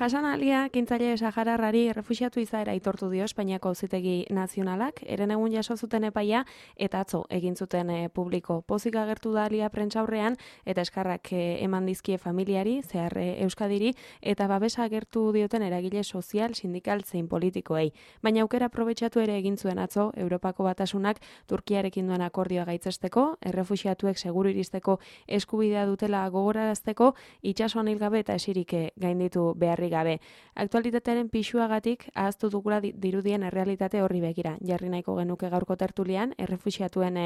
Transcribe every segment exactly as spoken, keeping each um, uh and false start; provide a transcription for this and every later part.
Hasan Alia, kintzaile sahararrari errefuxiatu izaera aitortu dio Espainiako Auzitegi Nazionalak, herenegun jaso zuten epaia eta atzo egin zuten e, publiko. Pozik agertu da Alia prentsaurrean eta eskarrak e, eman dizkie familiari, zehar e, Euskadiri, eta babesa agertu dioten eragile sozial, sindikal zein politikoei. Baina aukera aprobetxatu ere egin zuen atzo Europako Batasunak Turkiarekin duen akordioa gaitzesteko, errefuxiatuek seguru iristeko eskubidea dutela gogorarazteko, itsasoan hilgabe eta esirik gainditu beharrik gabe. Aktualitatearen pisuagatik ahaztu dugula dirudien errealitate horri begira. Jarri nahiko genuke gaurko tertulian errefuxiatuen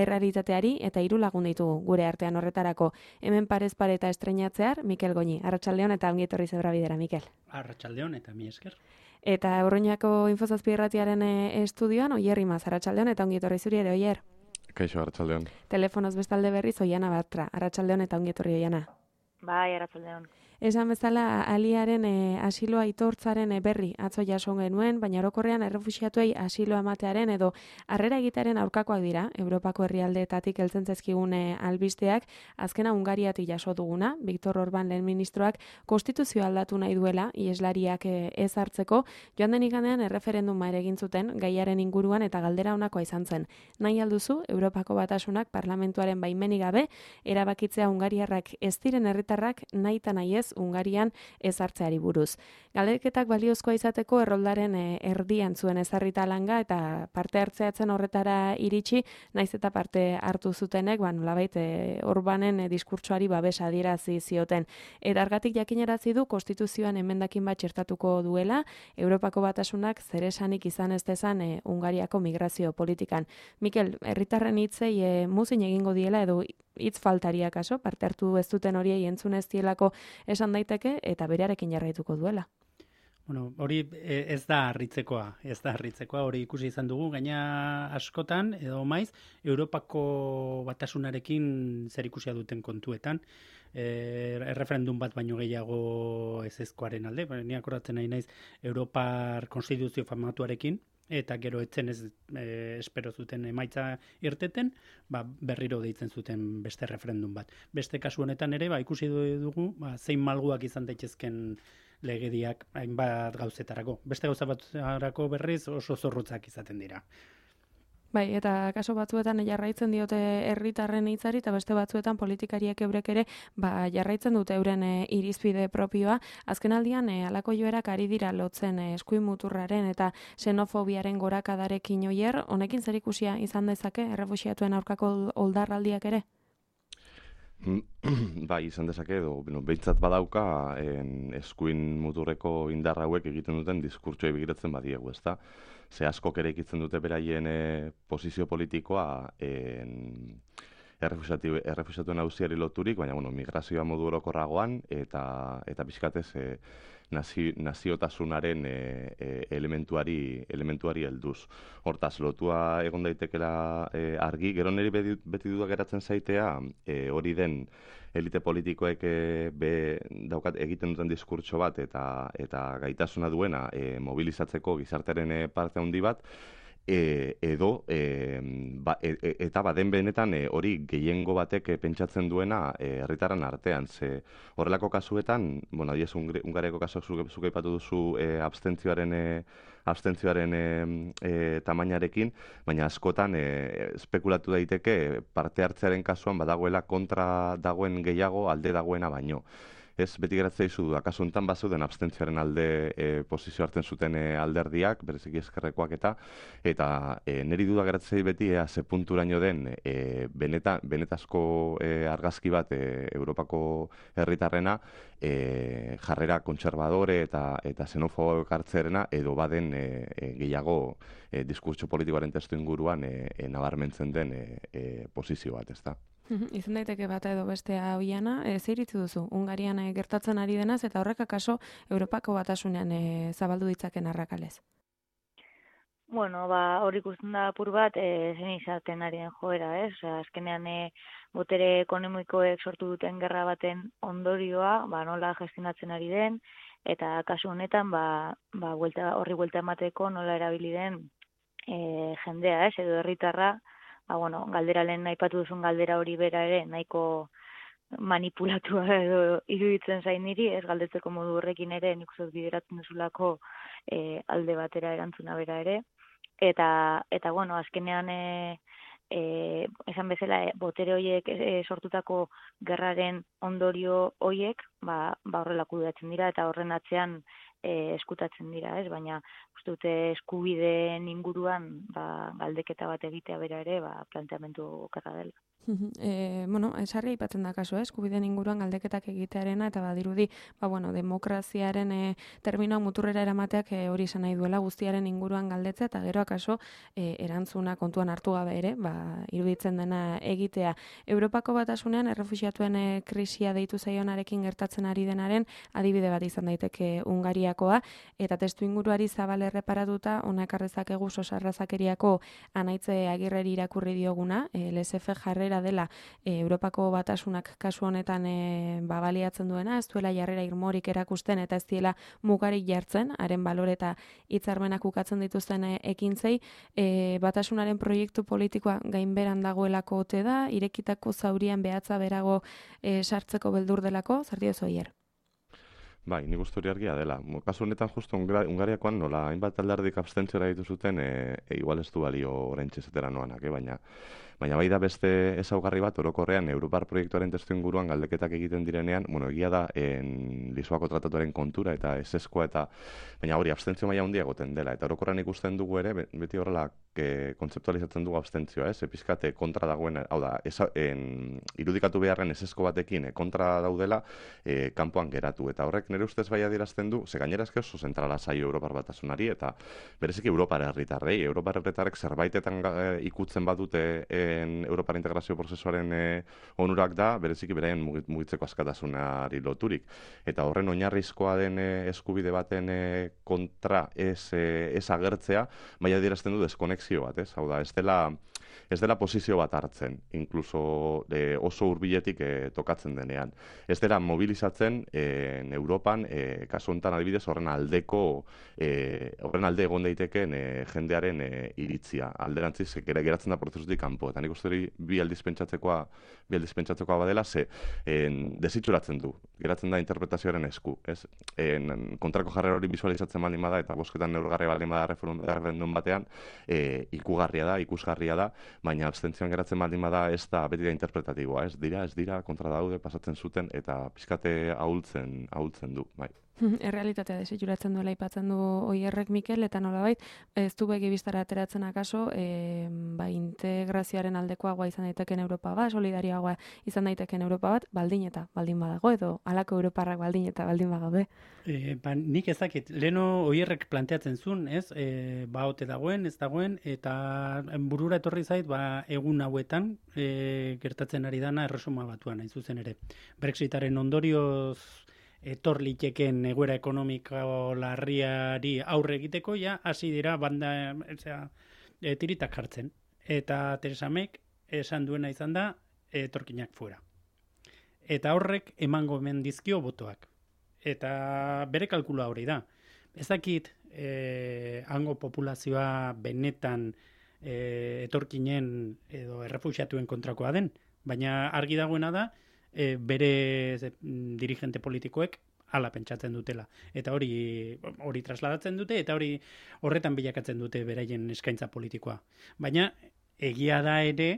errealitateari eta hiru lagun ditugu gure artean horretarako. Hemen parez pare eta estrenatzear Mikel Goñi. Arratsaldeon eta ongi etorri Zebrabidera, Mikel. Arratsaldeon eta mi esker. Eta Orruñako Infozazpi irratiaren estudioan Oier Imaz. Arratsaldeon eta ongi etorri zuri ere, Oier. Kaixo, arratsaldeon. Telefonoz bestalde berriz Oiana Bartra. Arratsaldeon eta ongi etorri, Oiana. Bai, arratsaldeon. Esan bezala, Aliaren e, asiloa aitortzaren e, berri atzo jaso genuen, baina orokorrean errefuxiatuei asiloa ematearen edo harrera egitearen aurkakoak dira, Europako herrialdeetatik heltzen zaizkigun e, albisteak, azkena Hungariatik jaso duguna, Viktor Orban lehen ministroak konstituzioa aldatu nahi duela, ieslariak e, ez hartzeko, joan den igandean erreferenduma ere egin zuten gaiaren inguruan eta galdera honakoa izan zen. Nahi alduzu, Europako Batasunak parlamentuaren baimenik gabe, erabakitzea Hungariarrak ez diren herritarrak nahi eta nahi ez Hungarian ez hartzeari buruz. Galdeketak baliozkoa izateko erroldaren e, erdian zuen ezarrita langa eta parte hartzeatzen horretara iritsi, naiz eta parte hartu zutenek, ba, nolabait e, Orbanen e, diskurtsoari babesa adierazi zioten. Eta argatik jakinarazi du konstituzioan emendakin bat txertatuko duela, Europako Batasunak zeresanik izan ez dezan e, Hungariako migrazio politikan. Mikel, herritarren hitzei e, muzin egingo diela edo hitz faltaria kaso, parte hartu ez duten horiei entzun ez dielako esan daiteke eta berearekin jarraituko duela. Bueno, hori ez da harritzekoa, ez da harritzekoa, hori ikusi izan dugu, gaina askotan, edo maiz, Europako Batasunarekin zer ikusia duten kontuetan, e, erreferendum bat baino gehiago ezezkoaren alde, ni akordatzen nahi naiz Europar Konstituzio famatuarekin, eta gero etzen ez e, espero zuten emaitza irteten, ba, berriro deitzen zuten beste referendum bat. Beste kasu honetan ere, ba, ikusi dugu, ba, zein malguak izan daitezken legediak hainbat gauzetarako. Beste gauza batzarako berriz oso zorrotzak izaten dira. Bai, eta kaso batzuetan jarraitzen diote herritarren hitzari eta beste batzuetan politikariek eurek ere ba, jarraitzen dute euren e, irizpide propioa. Azkenaldian e, halako joerak ari dira lotzen e, eskuin muturraren eta xenofobiaren gorakadarekin Oier, honekin zer ikusia izan dezake errefuxiatuen aurkako oldarraldiak ere? Bai, izan dezake edo, bueno, behintzat badauka en, eskuin muturreko indar hauek egiten duten diskurtsoa begiratzen badiegu, ezta? Ze askok ere ikitzen dute beraien e, posizio politikoa en, errefuxiatuen auziari loturik, baina bueno, migrazioa modu orokorragoan eta eta pixkatez e, nazi, naziotasunaren e, e, elementuari elementuari helduz. Hortaz, lotua egon daitekela e, argi, gero niri beti, beti dudak geratzen zaitea, e, hori den elite politikoek e, be, daukat egiten duten diskurtso bat eta eta gaitasuna duena e, mobilizatzeko gizartearen e, parte handi bat, E, edo e, ba, e, e, eta baden benetan e, hori gehiengo batek e, pentsatzen duena herritarren artean. Ze horrelako kasuetan, bueno, adiez Hungariako kasuak zuke, zuke ipatu duzu e, abstentzioaren e, abstentzioaren e, e, tamainarekin, baina askotan e, espekulatu daiteke parte hartzearen kasuan badagoela kontra dagoen gehiago alde dagoena baino. ez beti geratzea izu du, akaso honetan bazeuden abstentzioaren alde e, posizio hartzen zuten e, alderdiak, bereziki ezkerrekoak eta, eta e, niri duda geratzea beti ea ze punturaino den e, beneta, benetazko e, argazki bat e, Europako herritarrena e, jarrera kontserbadore eta eta xenofobo hartzerena edo baden e, e, gehiago e, diskurtso politikoaren testu inguruan e, e, nabarmentzen den e, e, posizio bat, ezta. Izan daiteke bata edo bestea oiana, e, zer iritzi duzu, Hungarian e, gertatzen ari denaz, eta horrek akaso Europako batasunean e, zabaldu ditzaken arrakalez? Bueno, ba, hor ikusten da apur bat, e, zen izaten ari den joera, ez? Osea, azkenean e, botere ekonomikoek sortu duten gerra baten ondorioa, ba, nola gestionatzen ari den, eta kasu honetan, ba, ba, buelta, horri buelta emateko nola erabili den e, jendea, ez? Edo herritarra, ba, bueno, galdera lehen aipatu duzun galdera hori bera ere, nahiko manipulatua edo iruditzen zain niri, ez galdetzeko modu horrekin ere, nik uste bideratzen duzulako e, alde batera erantzuna bera ere. Eta, eta bueno, azkenean e, e, esan bezala e, botere horiek e, sortutako gerraren ondorio horiek, ba, ba horrela kudeatzen dira eta horren atzean e, eskutatzen dira, ez? Baina uste dute eskubideen inguruan ba, galdeketa bat egitea bera ere, ba, planteamendu okerra dela. E, bueno, esarri aipatzen da kaso, eh? Eskubideen inguruan galdeketak egitearena eta badirudi, ba bueno, demokraziaren e, terminoa muturrera eramateak e, hori esan nahi duela guztiaren inguruan galdetzea eta gero akaso e, erantzuna kontuan hartu gabe ere, ba iruditzen dena egitea. Europako batasunean errefuxiatuen e, krisia deitu zaionarekin gertatzen ari denaren adibide bat izan daiteke Hungariakoa eta testu inguruari zabal erreparatuta hona ekar dezakegu Sosarrazakeriako Anaitze Agirreri irakurri dioguna, e, L S F jarrera dela e, Europako batasunak kasu honetan e, ba, baliatzen duena, ez duela jarrera irmorik erakusten eta ez diela mugarik jartzen, haren balore eta hitzarmenak ukatzen dituzten e, ekintzei, e, batasunaren proiektu politikoa gainberan dagoelako ote da, irekitako zaurian behatza berago e, sartzeko beldur delako, zer diozu Oier? Bai, nik uste hori argia dela. Kasu honetan justu Hungariakoan nola hainbat alderdik abstentziora ditu zuten, e, e, igual ez du balio oraintxe zetera noanak, eh? baina Baina bai da beste ezaugarri bat orokorrean Europar proiektuaren testu inguruan galdeketak egiten direnean, bueno, egia da en Lisboako tratatuaren kontura eta eseskoa eta baina hori abstentzio maila handia egoten dela eta orokorrean ikusten dugu ere beti horrela ke kontzeptualizatzen dugu abstentzioa, ez? Epizkate kontra dagoen, hau da, esa, en, irudikatu beharren esesko batekin e, kontra daudela e, kanpoan geratu eta horrek nire ustez bai adierazten du, ze gainera eske oso zentrala zaio Europar batasunari eta bereziki Europar herritarrei, Europar herritarrek zerbaitetan e, ikutzen badute e, Europar integrazio prozesuaren e, onurak da, bereziki beraien mugitzeko askatasunari loturik. Eta horren oinarrizkoa den e, eskubide baten e, kontra ez, e, ez agertzea, bai adierazten du deskonexio bat, ez? Hau da, ez dela, ez dela posizio bat hartzen, inkluso e, oso hurbiletik e, tokatzen denean. Ez dela mobilizatzen e, Europan, e, kasu honetan adibidez, horren aldeko, e, horren alde egon daiteken e, jendearen e, iritzia. Alderantziz, geratzen da prozesutik kanpo. Eta nik uste hori bi aldiz pentsatzekoa, bi aldiz pentsatzekoa badela, ze en, desitxuratzen du, geratzen da interpretazioaren esku. Ez? En, kontrako jarrera hori visualizatzen baldin bada, eta bosketan neurgarri baldin bada referendum batean, e, ikugarria da, ikusgarria da, baina abstentzioan geratzen baldin bada ez da beti da interpretatiboa, ez dira, ez dira, kontra daude, pasatzen zuten, eta pizkate ahultzen, ahultzen du, bai. Errealitatea desitxuratzen duela aipatzen du Oierrek Mikel, eta nolabait ez du begi bistara ateratzen akaso e, ba, integrazioaren aldekoagoa izan daiteken Europa bat, solidarioagoa izan daiteken Europa bat, baldin eta baldin badago, edo halako Europarrak baldin eta baldin bagaude. E, ba, nik ezakit, leno Oierrek planteatzen zuen, ez, e, ba ote dagoen, ez dagoen, eta burura etorri zait, ba, egun hauetan e, gertatzen ari dana erresuma batuan, hain zuzen ere. Brexitaren ondorioz etor liteken egoera ekonomiko larriari aurre egiteko, ja, hasi dira banda, ezea, e, tiritak jartzen. Eta Theresa Mayk esan duena izan da, etorkinak fuera. Eta horrek emango hemen dizkio botoak. Eta bere kalkula hori da. Ez dakit, e, hango populazioa benetan e, etorkinen edo errefuxiatuen kontrakoa den, baina argi dagoena da, E, bere ze, dirigente politikoek hala pentsatzen dutela. Eta hori hori trasladatzen dute eta hori horretan bilakatzen dute beraien eskaintza politikoa. Baina egia da ere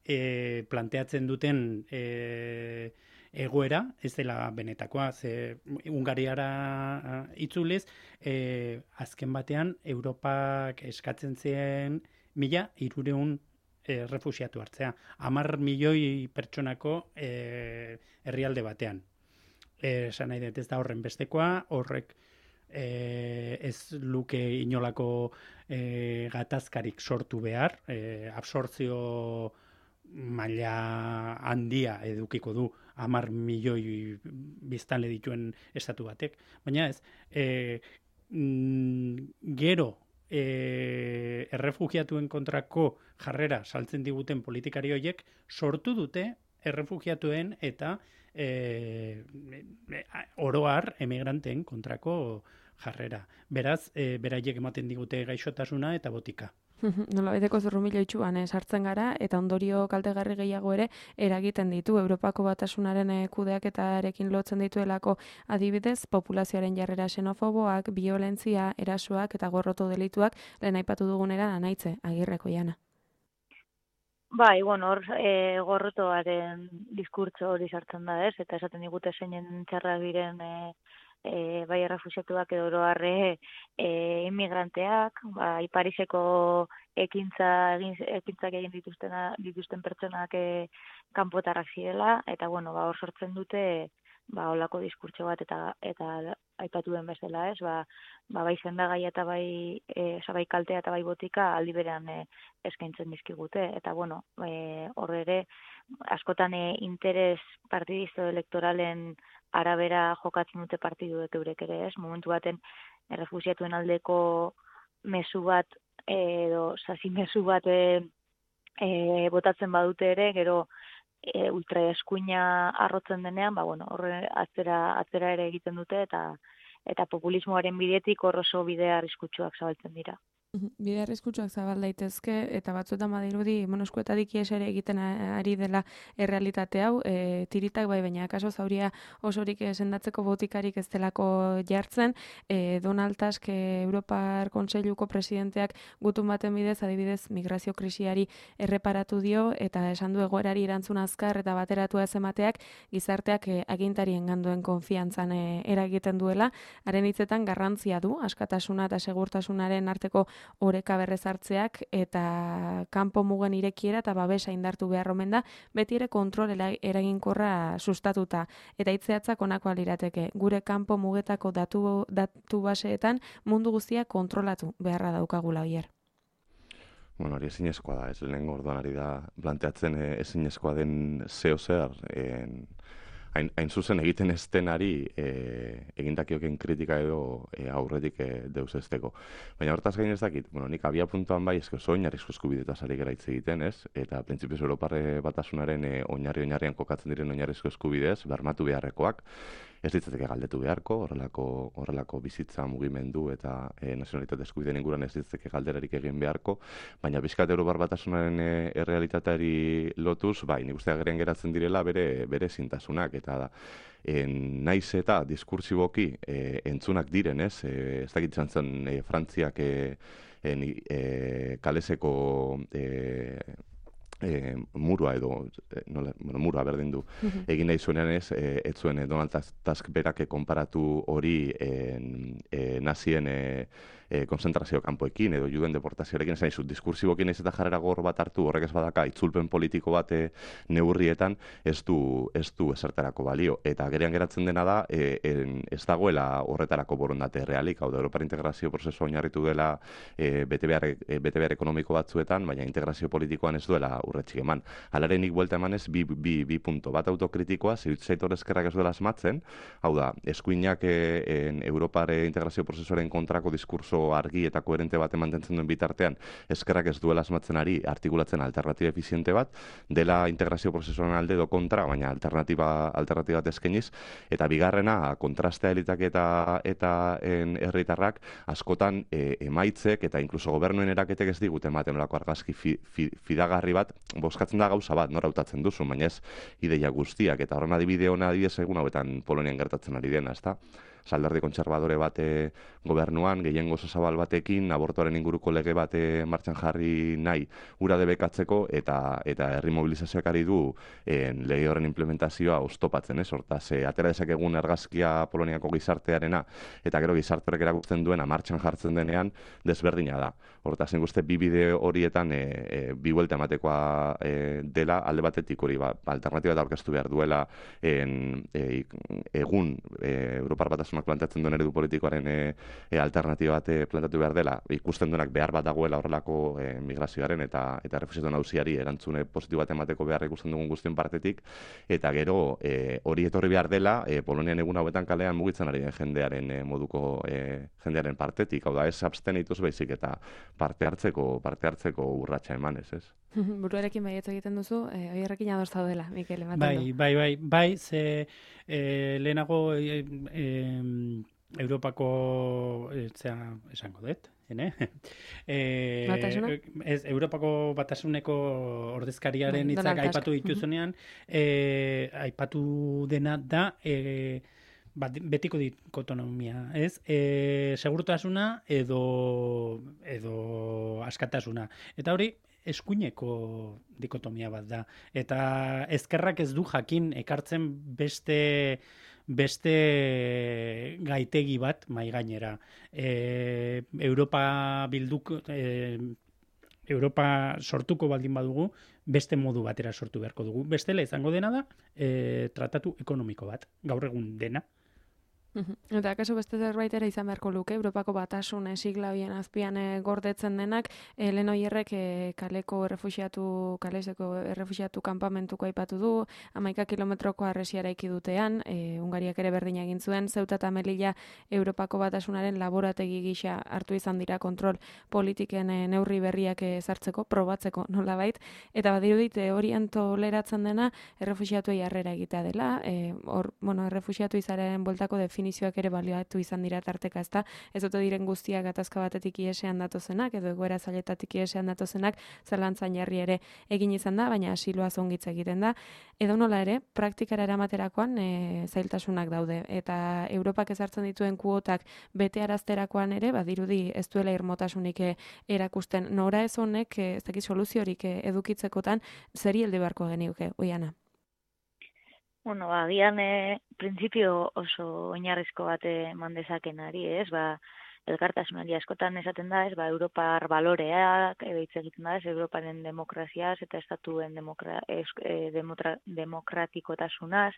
e, planteatzen duten e, egoera ez dela benetakoa, ze Hungariara itzuliz, e, azken batean Europak eskatzen zien mila hirureun e, refusiatu hartzea, hamar milioi pertsonako e, herrialde batean. Esan nahi dut ez da horren bestekoa, horrek e, ez luke inolako e, gatazkarik sortu behar, e, absortzio maila handia edukiko du hamar milioi biztanle dituen estatu batek, baina ez, e, mm, gero e, errefugiatuen kontrako jarrera saltzen diguten politikari horiek sortu dute errefugiatuen eta e, oroar emigranteen kontrako jarrera. Beraz, e, beraiek ematen digute gaixotasuna eta botika. Nola beteko zurrumilo itxuan eh, sartzen gara eta ondorio kaltegarri gehiago ere eragiten ditu. Europako batasunaren eh, kudeaketarekin lotzen dituelako adibidez, populazioaren jarrera xenofoboak, biolentzia, erasoak eta gorroto delituak lehen aipatu dugunera anaitze, Agirreko Jana. Bai, bueno, hor e, gorrotoaren diskurtso hori sartzen da, ez? Eta esaten digute zeinen txarrak diren e, e, bai errefuxiatuak edo oroarre e, immigranteak, bai Pariseko ekintza egin ekintzak egin dituzten dituzten pertsonak e, kanpotarrak zirela eta bueno, ba hor sortzen dute ba holako diskurtso bat eta eta aipatu den bezala, ez? Ba, ba bai sendagaia eta bai eh bai kaltea eta bai botika aldi berean e, eskaintzen dizkigute eta bueno, eh hor ere askotan e, interes partidisto elektoralen arabera jokatzen dute partiduek eurek ere, ez? Momentu baten errefuxiatuen aldeko mezu bat edo sasi mezu bat e, e, botatzen badute ere, gero e, ultraeskuina arrotzen denean, ba bueno, horre atzera atzera ere egiten dute eta eta populismoaren bidetik hor oso bide arriskutsuak zabaltzen dira. Bide arriskutsuak zabal daitezke eta batzuetan badirudi monoskuetatik ies ere egiten ari dela errealitate hau, e, tiritak bai, baina kaso zauria osorik sendatzeko botikarik ez delako jartzen. E, Donald Tusk Europar Kontseiluko presidenteak gutun baten bidez adibidez migrazio krisiari erreparatu dio eta esan du egoerari erantzun azkar eta bateratua ez emateak gizarteak e, agintarien ganduen konfiantzan e, eragiten duela. Haren hitzetan garrantzia du askatasuna eta segurtasunaren arteko oreka berrezartzeak eta kanpo mugen irekiera eta babesa indartu behar omen da, beti ere kontrol eraginkorra sustatuta. Eta hitzeatzak honakoa lirateke, gure kanpo mugetako datu, datu baseetan mundu guztia kontrolatu beharra daukagula oier. Bueno, hori ezinezkoa da, ez lehen orduan ari da planteatzen e, ezinezkoa den zeo zer, en... Hain, hain zuzen egiten ez denari e, egindakioken kritika edo e, aurretik e, deus esteko. Baina hortaz gain ez dakit, bueno, nik abia puntuan bai ezko zo oinarrizko eskubidetaz ari gara hitz egiten, ez? Eta printzipioz Europarre batasunaren e, oinarri-oinarrian kokatzen diren oinarrizko eskubidez, bermatu beharrekoak, ez ditzateke galdetu beharko, horrelako, horrelako bizitza mugimendu eta e, nazionalitate eskubideen inguruan ez ditzateke galderarik egin beharko, baina bizkat Europar batasunaren e, errealitateari lotuz, bai, nik uste agerian geratzen direla bere, bere zintasunak, eta da, en, naiz eta diskursiboki e, entzunak diren, ez? E, ez dakitzen zen e, Frantziak e, en, e, kaleseko e, E, murua edo, e, nola, bueno, murua berdin du, uh-huh. egin nahi zuenean ez, e, ez zuen e, Donald Tusk berak konparatu hori e, e, nazien e, e, konzentrazio kanpoekin edo juden deportazioarekin, esan izut, diskursibokin ez eta jarrera gor bat hartu, horrek ez badaka, itzulpen politiko bat e, neurrietan ez du, ez du esertarako balio. Eta gerean geratzen dena da, e, en, ez dagoela horretarako borondate realik, hau da, Europar integrazio prozesua oinarritu dela e, bete behar, e, bete behar ekonomiko batzuetan, baina integrazio politikoan ez duela urretxik eman. Halaren nik buelta emanez, bi, bi, bi punto bat autokritikoa, zirutzaitor ezkerrak ez duela asmatzen, hau da, eskuinak e, en Europare integrazio prozesuaren kontrako diskurso argi eta koherente bat mantentzen duen bitartean, ezkerrak ez duela asmatzen ari artikulatzen alternatiba efiziente bat, dela integrazio prozesuaren alde do kontra, baina alternatiba, alternatiba bat eskeniz, eta bigarrena, kontrastea elitak eta, eta en, herritarrak askotan e, emaitzek eta inkluso gobernuen eraketek ez digute ematen olako argazki fi, fi, fidagarri bat, bozkatzen da gauza bat, nora hautatzen duzu, baina ez ideia guztiak, eta horren adibide hona adibidez egun hauetan Polonian gertatzen ari dena, ezta? alderdi kontserbadore bate gobernuan, gehiengo oso zabal batekin, abortoaren inguruko lege bate martxan jarri nahi ura debekatzeko, eta eta herri mobilizazioak ari du en, lege horren implementazioa oztopatzen, ez? Hortaz, e, atera dezakegun argazkia Poloniako gizartearena, eta gero gizarte horrek erakusten duena martxan jartzen denean, desberdina da. Hortaz, nik bi bide horietan e, e, bi buelta ematekoa e, dela, alde batetik hori, ba, alternatiba eta aurkeztu behar duela en, e, egun e, Europar Batasunak planteatzen duen eredu politikoaren e, e, alternatiba bat planteatu behar dela, ikusten duenak behar bat dagoela horrelako e, migrazioaren eta eta refusiatu nauziari erantzune positibo bat emateko behar ikusten dugun guztien partetik, eta gero e, hori etorri behar dela e, Polonian egun hauetan kalean mugitzen ari den jendearen e, moduko e, jendearen partetik, hau da ez abstenituz baizik eta parte hartzeko parte hartzeko urratsa emanez, ez? Buruarekin baietz egiten duzu, eh, oierrekin ados zaudela, Mikel, ematen bai, du. Bai, bai, bai, ze e, lehenago e, e, Europako, e, zera, esango dut, ene? E, Batasuna? Ez, Europako Batasuneko ordezkariaren Bai, hitzak Donald Tusk. aipatu dituzunean, e, aipatu dena da, e, Ba, betiko dikotonomia, ez? E, segurtasuna edo edo askatasuna. Eta hori eskuineko dikotomia bat da. Eta ezkerrak ez du jakin ekartzen beste beste gaitegi bat mai gainera. E, Europa bilduk e, Europa sortuko baldin badugu, beste modu batera sortu beharko dugu. Bestela izango dena da, e, tratatu ekonomiko bat, gaur egun dena. Eta akaso beste zerbait ere izan beharko luke, Europako Batasun sigla horien azpian e, gordetzen denak, e, lehen oierrek e, kaleko errefuxiatu, kaleseko errefuxiatu kanpamentuko aipatu du, hamaika kilometroko harresia eraiki dutean, e, Hungariak ere berdina egin zuen, Ceuta eta Melilla Europako Batasunaren laborategi gisa hartu izan dira kontrol politiken e, neurri berriak ezartzeko, probatzeko nolabait, eta badirudit horian toleratzen dena errefuxiatuei harrera egitea dela, e, or, bueno, errefuxiatu izaren bueltako definizioak ere baliatu izan dira tarteka, ezta? Ez dute diren guztiak gatazka batetik iesean datozenak, edo egoera zailetatik iesean datozenak, zalantzan jarri ere egin izan da, baina asiloa zongitza egiten da. Edo nola ere, praktikara eramaterakoan e, zailtasunak daude. Eta Europak ezartzen dituen kuotak bete arazterakoan ere, badirudi ez duela irmotasunik e, erakusten. Nora ez honek, e, ez dakit soluziorik e, edukitzekotan, zeri heldu beharko genioke, Oiana? Bueno, ba, agian e, printzipio oso oinarrizko bat eman dezakenari, ez? Ba, elkartasunari askotan esaten da, ez? Ba, Europar baloreak edo hitz egiten da, ez? Europaren demokraziaz eta estatuen demokra, es, e, demotra, demokratikotasunaz.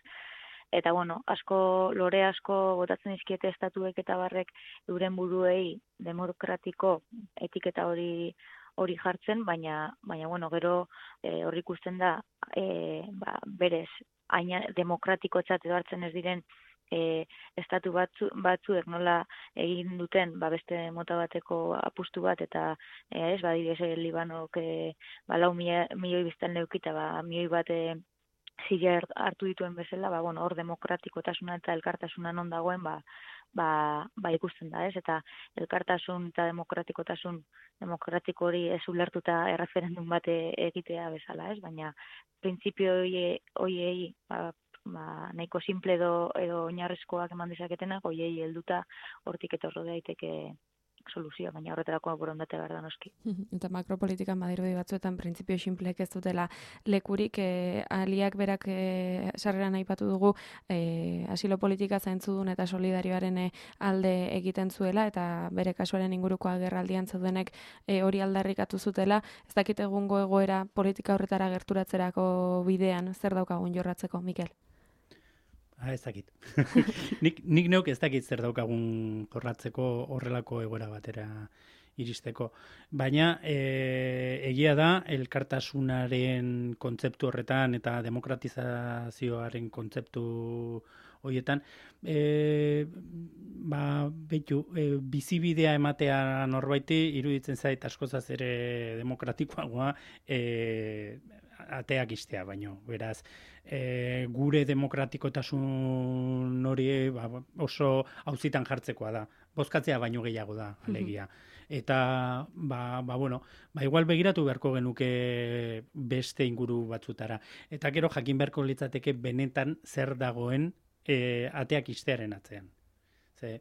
Eta, bueno, asko, lore asko botatzen dizkiete estatuek eta barrek euren buruei demokratiko etiketa hori hori jartzen, baina, baina bueno, gero e, hori ikusten da e, ba, berez aina demokratikotzat edo hartzen ez diren e, estatu batzu, batzuek nola egin duten ba, beste mota bateko apustu bat eta e, ez, badidez Libanok e, ba, lau milioi biztan leukita, ba, milioi bat e, zile hartu dituen bezala, ba, bueno, hor demokratikotasuna eta elkartasuna non dagoen, ba, ba, ba ikusten da, ez? Eta elkartasun eta demokratikotasun demokratiko hori ez ulertuta erreferendum bat egitea bezala, ez? Baina printzipio hoiei ba, ba, nahiko simple edo, edo oinarrizkoak eman dezaketenak, hoiei helduta hortik etorro daiteke soluzioa, baina horretarako borondate behar da noski. Eta makropolitikan badirudi batzuetan printzipio sinpleek ez dutela lekurik, e, aliak berak e, sarreran aipatu dugu e, asilo politika zaintzudun eta solidarioaren e, alde egiten zuela, eta bere kasuaren inguruko agerraldian zeudenek e, hori aldarrikatu zutela. Ez dakit egungo egoera politika horretara gerturatzerako bidean zer daukagun jorratzeko, Mikel? Ah, ez dakit. nik, nik neuk ez dakit zer daukagun jorratzeko horrelako egoera batera iristeko. Baina e, egia da, elkartasunaren kontzeptu horretan eta demokratizazioaren kontzeptu horietan, e, ba, behitu, e, bizibidea ematea norbaiti iruditzen zait askozaz ere demokratikoagoa, e, ateak istea, baino, beraz, e, gure demokratikotasun hori ba, oso auzitan jartzekoa da. Bozkatzea baino gehiago da, alegia. Eta, ba, ba, bueno, ba, igual begiratu beharko genuke beste inguru batzutara. Eta gero jakin beharko litzateke benetan zer dagoen e, ateak istearen atzean. Ze,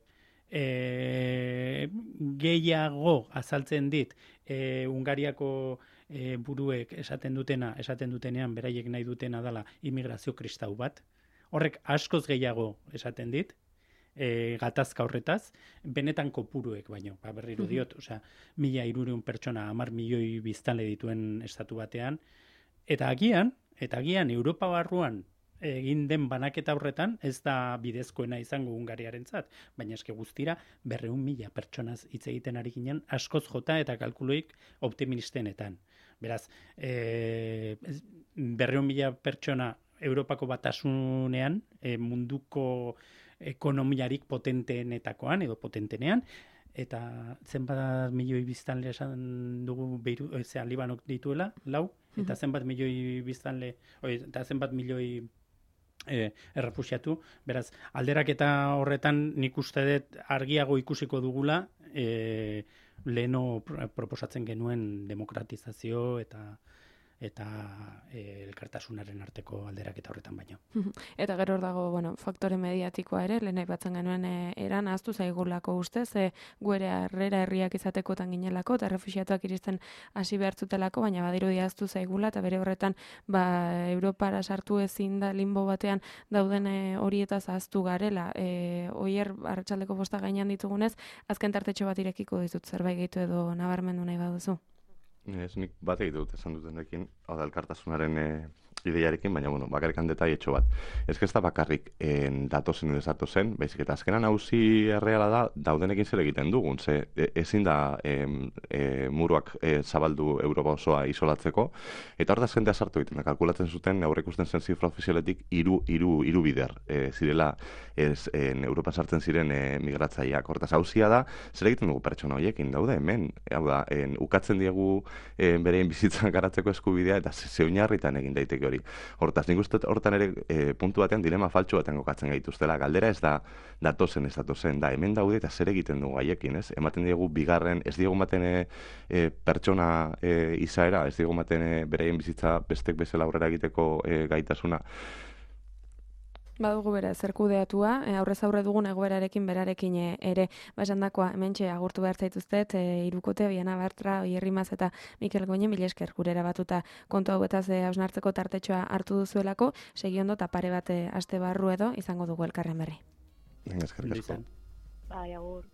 e, gehiago azaltzen dit, e, Hungariako e, buruek esaten dutena, esaten dutenean, beraiek nahi dutena dela immigrazio kristau bat. Horrek askoz gehiago esaten dit, e, gatazka horretaz, benetan kopuruek baino, ba, berriro diot, osea, mila hirurehun pertsona, hamar milioi biztanle dituen estatu batean, eta agian, eta agian Europa barruan egin den banaketa horretan ez da bidezkoena izango Hungariarentzat, baina eske guztira berrehun mila pertsonaz hitz egiten ari ginen askoz jota eta kalkuloik optimistenetan. Beraz, e, berrehun mila pertsona Europako batasunean, e, munduko ekonomiarik potenteenetakoan edo potentenean, eta zenbat milioi biztanle esan dugu Beiru, zean Libanok dituela, lau, eta zenbat milioi biztanle, oi, eta zenbat milioi E, errefuxiatu, beraz, alderaketa horretan nik uste dut argiago ikusiko dugula e, leheno proposatzen genuen demokratizazio eta eta e, elkartasunaren arteko alderaketa horretan baino. Eta gero hor dago, bueno, faktore mediatikoa ere, lehen aipatzen genuen e, eran ahaztu zaigulako ustez, e, guere harrera herriak izatekotan ginelako, eta refuxiatuak iristen hasi behartzutelako, baina badirudi ahaztu zaigula, eta bere horretan, ba, Europara sartu ezin da limbo batean dauden e, horietaz ahaztu garela. E, oier, arratsaldeko bosta gainean ditugunez, azken tartetxo bat irekiko ditut zerbait gehitu edo nabarmendu nahi baduzu. Ez, nik bat egite dut esan dutenekin, hau da elkartasunaren e, ideiarekin, baina, bueno, bakarrikan detaietxo bat. Ez ez da bakarrik en, datozen edo zen, baizik eta azkenan hauzi erreala da, daudenekin zer egiten dugun, ze e, ezin da e, e, muruak e, zabaldu Europa osoa isolatzeko, eta hor da jendea sartu egiten, kalkulatzen zuten, aurre ikusten zen zifra ofizialetik, iru, iru, iru bider, e, zirela, ez, en, Europa sartzen ziren e, migratzaileak. Hortaz, hauzia da, zer egiten dugu pertsona horiekin, daude hemen, hau da, en, ukatzen diegu e, berein bizitzan garatzeko eskubidea, eta ze oinarritan egin daiteke hori. Hortaz, nik uste hortan ere e, puntu batean dilema faltsu batean kokatzen gaituztela. Galdera ez da datozen, ez datozen, da hemen daude eta zer egiten dugu haiekin, ez? Ematen diegu bigarren, ez diegu ematen e, e, pertsona e, izaera, ez diegu ematen e, bereien bizitza bestek bezala aurrera egiteko e, gaitasuna. Badugu bera, zer kudeatua, e, aurrez aurre dugun egoerarekin berarekin e, ere, basandakoa, hementxe agurtu behar zaituztet, e, Irukote, Biana Bartra, Oier Rimaz eta Mikel Goñi, mila esker gurera batuta kontu hau eta ze hausnartzeko tartetxoa hartu duzuelako, segi ondo eta pare bat aste barru edo izango dugu elkarren berri. Eskerrik asko. Bai, agur.